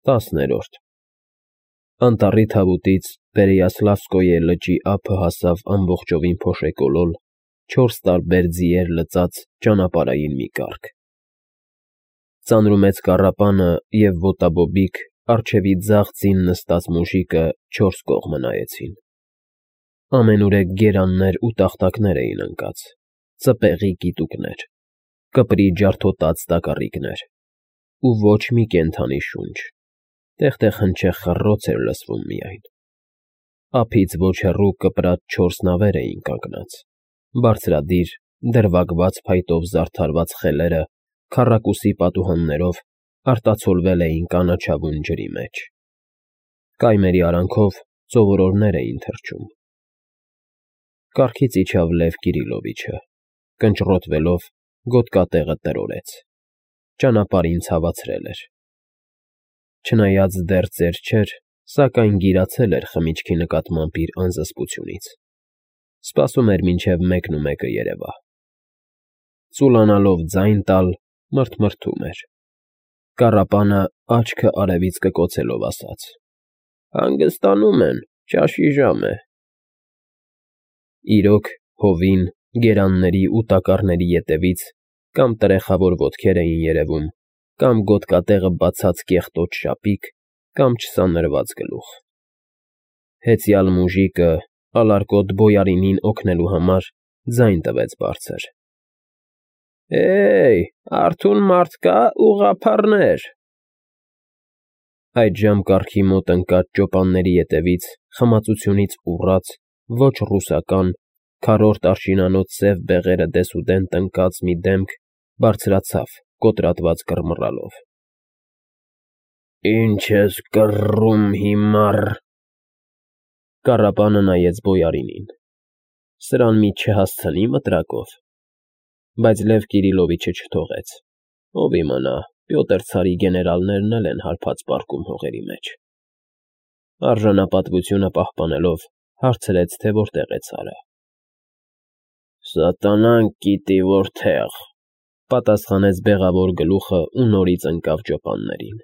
10-րդ Անտառի թավուտից Պերեյասլավսկոյե լճի ափը հասավ ամբողջովին փոշեկոլոլ, 4 տարբեր ձիեր լծած ճանապարհային մի կառք։ Ծանրումեծ կառապանը և ոտաբոբիկ, առջևի ձախ ձին նստած մուժիկը 4 կողմը նայեցին։ Ամենուրեք գերաններ ու տախտակներ էին ընկած, ծպեղի կիտուկներ, կպրի ջարդոտած տակառիկներ, ու ոչ մի կենդանի շունչ, տեղ-տեղ հնչեղ խռոց էր լսվում միայն։ Ափից ոչ հեռու կպրած 4 նավեր էին կանգնած, բարձրադիր, դրվագված փայտով զարդարված խելերը քառակուսի պատուհաններով արտացոլվել էին կանաչավուն ջրի մեջ։ Կայմերի արանքով ծովորորներ էին թռչում։ Կառքից իջավ Լև Կիրիլովիչը, կնճռոտվելով գոտկատեղը տրորեց, ճանապարհին ցավացրել էր։ Չնայած դեռ ծեր չէր, սակայն գիրացել էր խմիչքի նկատմամբ իր անզսպությունից։ Սպասում էր, մինչև 1:01 երևա։ Ծուլանալով ձայն տալ, մռթմռթում էր։ Կառապանը աչքը արևից կկոցելով ասաց. «Հանգստանում են, ճաշի ժամ է»։ Իրոք, հովին, գերանների ու տակառների ետևից կամ տրեխավոր ոտքեր էին երևում, կամ գոտկատեղը բացած կեղտոտ շապիկ, կամ չսանրված գլուխ։ Հեծյալ մուժիկը, ալարկոտ բոյարինին օգնելու համար, ձայն տվեց բարձր. «Հեյ, արթուն մարդ կա, ուղղափառներ»։ Այդժամ կառքի մոտ ընկած ճոպանների ետևից խմածությունից ուռած, ոչ ռուսական, քառորդ արշինանոց սև բեղերը դեսուդեն տնկած մի դեմք բարձրացավ կոտրատված կռմռալով։ «Ինչ ես կռռում, հիմար»։ Կառապանը նայեց բոյարինին։ Սրան մի չհասցնի՞ մտրակով։ Բայց Լև Կիրիլովիչը չթողեց։ Ով իմանա, Պյոտր ցարի գեներալներն էլ են հարբած պառկում հողերի մեջ։ Արժանապատվությունը պահպանելով, հարցրեց, թե որտեղ է ցարը։ Սատանան գիտի որտեղ, պատասխանեց բեղավոր գլուխը ու նորից ընկավ ճոպաններին։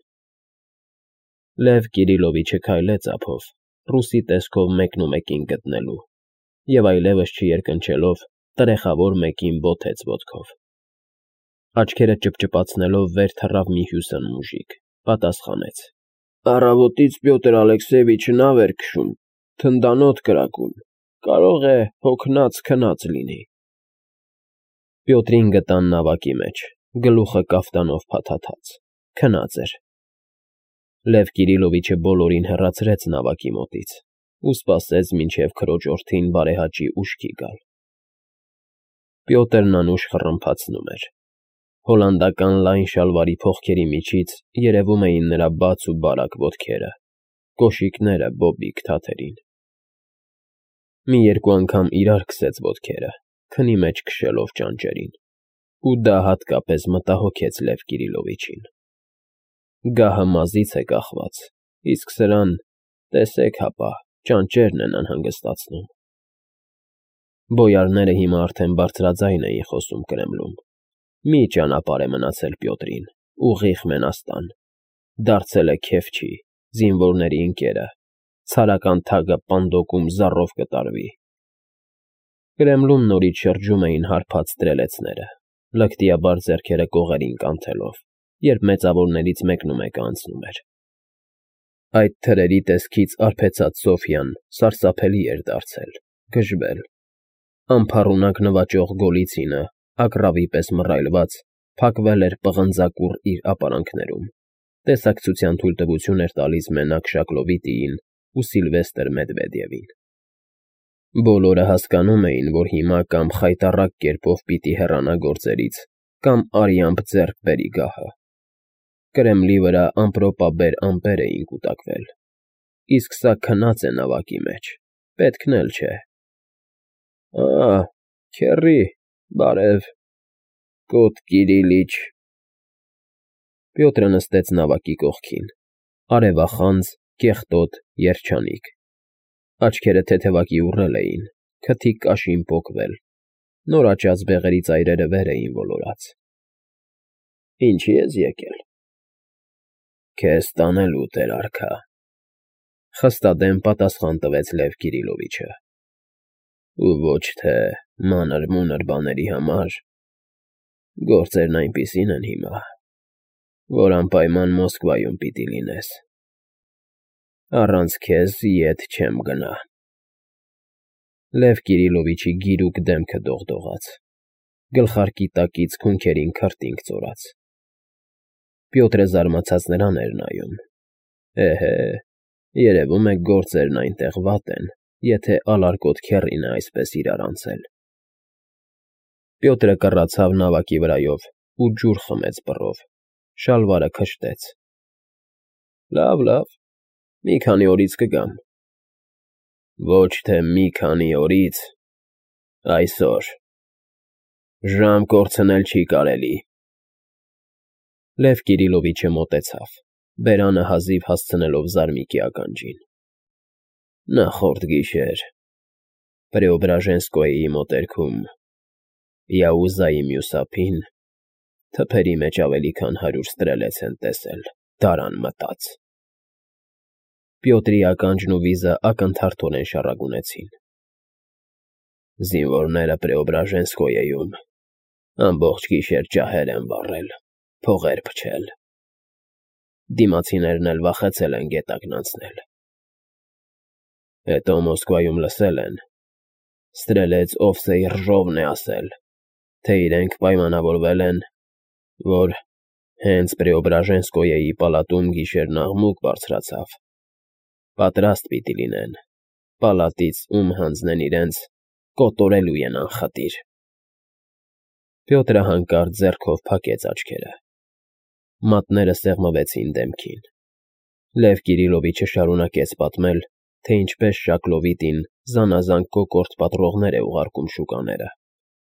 Լև Կիրիլովիչը քայլեց ափով, ռուսի տեսքով 1:01 գտնելու, և այլևս չերկնչելով, տրեխավոր մեկին բոթեց ոտքով։ Աչքերը ճպճպացնելով վեր թռավ մի հյուսն մուժիկ, պատասխանեց. «Առավոտից Պյոտր Ալեքսեյևիչը նավ էր քշում, թնդանոթ կրակում, կարող է հոգնած֊քնած լինի»։ Պյոտրին գտան նավակի մեջ, գլուխը կաֆտանով փաթաթած, քնած էր։ Լև Կիրիլովիչը բոլորին հեռացրեց նավակի մոտից ու սպասեց, մինչև քրոջ օրթին բարեհաճի ուշքի գալ։ Պյոտրն անուշ խռմփացնում էր։ Հոլանդական լայն շալվարի փողքերի միջից երևում էին նրա բաց ու բարակ ոտքերը, կոշիկները բոբիկ թաթերին։ Մի երկու անգամ իրար քսեց ոտքերը, քնի մեջ քշելով ճանճերին, ու դա հատկապես մտահոգեց Լև Կիրիլովիչին։ Գահը մազից է կախված, իսկ սրան, տեսեք հապա, ճանճերն են անհանգստացնում։ Բոյարները հիմա արդեն բարձրաձայն էին խոսում Կրեմլում։ Մի ճանապարհ է մնացել Պյոտրին, ուղիղ Մենաստան, դարձել է քեֆչի, զինվորների ընկերը, ցարական թագը պանդոկում զառով կտարվի։ Կրեմլում նորից շրջում էին հարբած ստրելեցները, լկտիաբար ձեռքերը կողերին կանթելով, երբ մեծավորներից 1:01 անցնում էր։ Այդ թրերի տեսքից արբեցած Սոֆյան սարսափելի էր դարձել, գժվել։ Անփառունակ նվաճող Գոլիցինը, ագռավի պես մռայլված, փակվել էր պղնձակուռ իր ապարանքներում, տեսակցության թույլտվություն էր տալիս մենակ Շակլովիտիին ու Սիլվեստր Մեդվեդևին։ Բոլորը հասկանում էին, որ հիմա կամ խայտառակ կերպով պիտի հեռանա գործերից, կամ արյամբ ձեռք բերի գահը։ Կրեմլի վրա ամպրոպաբեր ամպեր էին կուտակվել։ Իսկ սա քնած է նավակի մեջ, պետքն էլ չէ։ Քեռի, բարև, Կոտ Կիրիլիչ։ Պյոտրը նստեց նավակի կողքին, արևախանձ, կեղտոտ, երջանիկ։ Աչքերը թեթևակի ուռել էին, քթի կաշին պոկվել, նոր աճած բեղերի ծայրերը վեր էին ոլորած։ Ինչի՞ ես եկել։ Քեզ տանելու, Տեր արքա, խստադեմ պատասխան տվեց Լև Կիրիլովիչը, ու ոչ թե մանր-մունր բաների համար, գործերն այնպիսին են հիմա, որ անպայման Մոսկվայում պիտի լինես, առանց քեզ ետ չեմ գնա։ Լև Կիրիլովիչի գիրուկ դեմքը դողդողաց, գլխարկի տակից քունքերին քրտինք ծորաց։ Պյոտրը զարմացած նրան էր նայում։ Էհե, երևում է գործերն այնտեղ վատ են, եթե ալարկոտ քեռին է այսպես իրար անցել։ Պյոտրը կռացավ նավակի վրայով ու ջուր խմեց բռով, շալվարը քշտեց։ Լավ, մի քանի օրից կգամ։ Ոչ թե մի քանի օրից, այսօր։ Ժամ կորցնել չի կարելի։ Լև Կիրիլովիչը մոտեցավ, բերանը հազիվ հասցնելով զարմիկի ականջին։ Նախորդ գիշեր Պրեոբրաժենսկոյի մոտերքում Յաուզայի մյուս ափին թփերի մեջ ավելի քան 100 ստրելեց են տեսել, դարան մտած։ Պյոտրի ականջն ու վիզը ակնթարթորեն շառագունեցին։ Զինվորները Պրեոբրաժենսկոյեում ամբողջ գիշեր ջահեր են վառել, փողեր փչել։ Դիմացիներն էլ վախեցել են գետակն անցնել։ Հետո Մոսկվայում լսել են, Ստրելեց Օվսեյ Ռժովն է ասել, թե իրենք պայմանավորվել են, որ հենց Պրեոբրաժենսկոյեի պալատում գիշերն աղմուկ բարձրացավ։ Պատրաստ պիտի լինեն, պալատից ում հանձնեն իրենց, կոտորելու են անխտիր։ Պյոտրը հանկարծ ձեռքով փակեց աչքերը։ Մատները սեղմվեցին դեմքին։ Լև Կիրիլովիչը շարունակեց պատմել, թե ինչպես Շակլովիտին զանազան կոկորտ պատռողներ է ուղարկում շուկաները,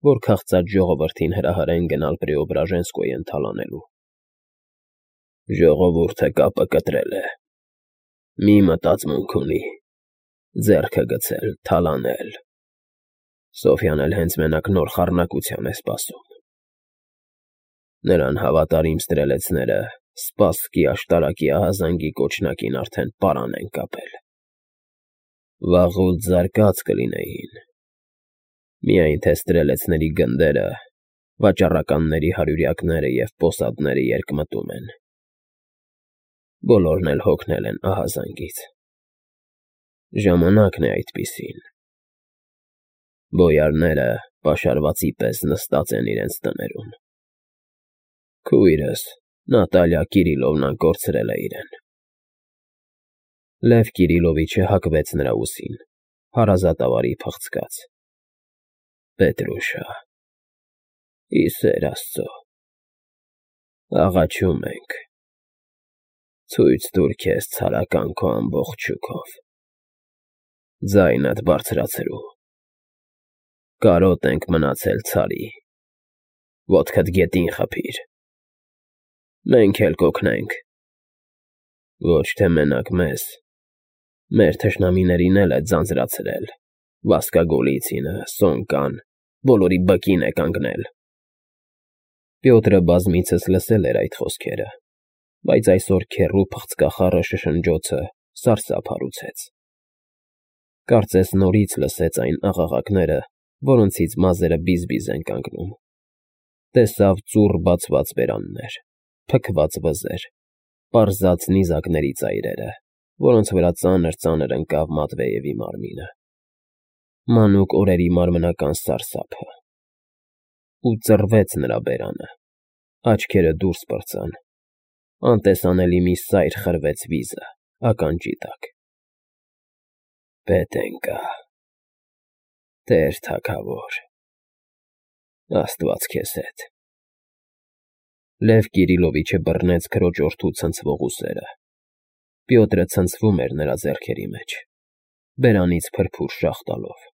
որ քաղցած ժողովրդին հրահարեն գնալ Պրեոբրաժենսկոյեն թալանելու։ Ժողովուրդը կապը կտրել է։ Մի մտածմունք ունի, ձեռքը գցել, թալանել։ Սոֆյան էլ հենց մենակ նոր խառնակության է սպասում։ Նրան հավատարիմ ստրելեցները Սպասկի աշտարակի ահազանգի կոչնակին արդեն պարան են կապել։ Վաղուց զարկած կլինեին։ Միայն թե ստրելեցների գնդերը, վաճառականների հարյուրյակները և պոսադները երկմտում են։ Բոլորն էլ հոգնել են ահազանգից։ Ժամանակն է այդպիսին։ Բոյարները պաշարվածի պես նստած են իրենց տներում։ Քույրս Նատալիա Կիրիլովնան կորցրել է իրեն։ Լև Կիրիլովիչը հակվեց նրա ուսին, հարազատավարի փղցկաց։ Պետրուշա, ի սեր Աստծո, աղաչում ենք, ցույց տուր քեզ ցարական քո ամբողջ շուքով, ձայնդ բարձրացրու, կարոտ ենք մնացել ցարի, ոտքդ գետին խփիր, մենք էլ կօգնենք, ոչ թե մենակ մեզ, մեր թշնամիներին էլ է ձանձրացրել, Վասկագոլիցինը, Սոնկան, բոլորի բկին է կանգնել։ Պյոտրը բազմիցս լսել էր այդ խոսքերը, բայց այսօր քեռու փղցկախառը շշնջոցը սարսափ հարուցեց։ Կարծես նորից լսեց այն աղաղակները, որոնցից մազերը բիզ-բիզ են կանգնում։ Տեսավ ծուռ բացված բերաններ, փքված վզեր, պարզած նիզակների ծայրերը, որոնց վրա ծանր ընկավ Մատվեևի մարմինը։ Մանուկ օրերի մարմնական սարսափը։ Ու ծռվեց նրա բերանը, աչքերը դուրս պրծան, անտեսանելի մի սայր խրվեց վիզը, ականջի տակ։ Պետենկա, Տեր թագավոր, Աստված քեզ հետ։ Լև Կիրիլովիչը բռնեց քրոջորդու ցնցվող ուսերը։ Պյոտրը ցնցվում էր նրա ձեռքերի մեջ, բերանից փրփուր շաղ տալով։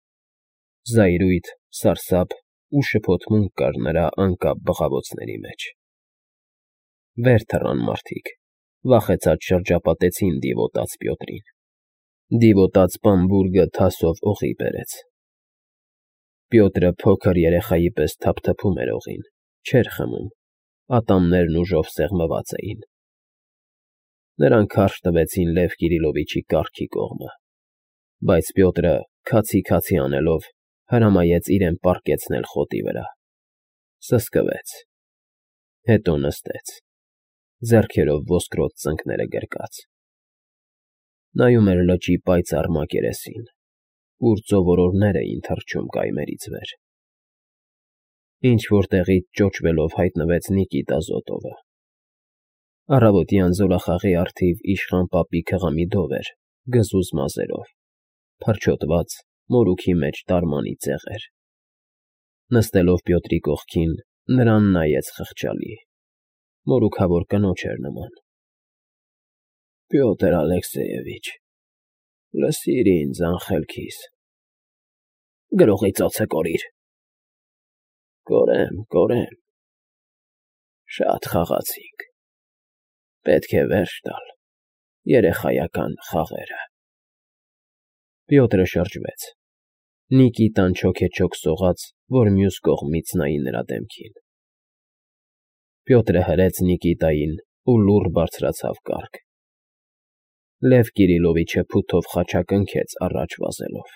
Զայրույթ, սարսափ ու շփոթմունք կար նրա անկապ բղավոցների մեջ։ Վեր թռան մարդիկ, վախեցած շրջապատեցին դիվոտած Պյոտրին։ Դիվոտած Պամբուրգը թասով օղի բերեց։ Պյոտրը փոքր երեխայի պես թափթփում էր օղին, չէր խմում, ատամներն ուժով սեղմված էին։ Նրանք քարշ տվեցին Լև Կիրիլովիչի կառքի կողմը, բայց Պյոտրը, քացի անելով, հրամայեց իրեն պառկեցնել խոտի վրա, սսկվեց, հետո նստեց, ձեռքերով ոսկրոտ ծնկները գրկած, նայում էր լճի պայծառ մակերեսին, ուր ծովորորներ էին թռչում կայմերից վեր։ Ինչ-որ տեղից ճոճվելով հայտնվեց Նիկիտա Զոտովը։ Առավոտյան զորախաղի առթիվ իշխան պապի քղամիդով էր, գզուզ մազերով, փրչոտված, մորուքի մեջ տարմանի ծեղեր։ Նստելով Պյոտրի կողքին, նրան նայեց խղճալի, մորուքավոր կնոջ էր նման։ Պյոտր Ալեքսեյևիչ, լսիր ինձ, անխելքիս, գրողի ծոցը կորիր։ Կորեմ, շատ խաղացինք, պետք է վերջ տալ երեխայական խաղերը։ Պյոտրը շրջվեց, Նիկիտան չոքեչոք սողաց, որ մյուս կողմից նայի նրա դեմքին։ Պյոտրը հրեց Նիկիտային ու լուռ բարձրացավ կառք։ Լև Կիրիլովիչը փութով խաչակնքեց առաջ վազելով։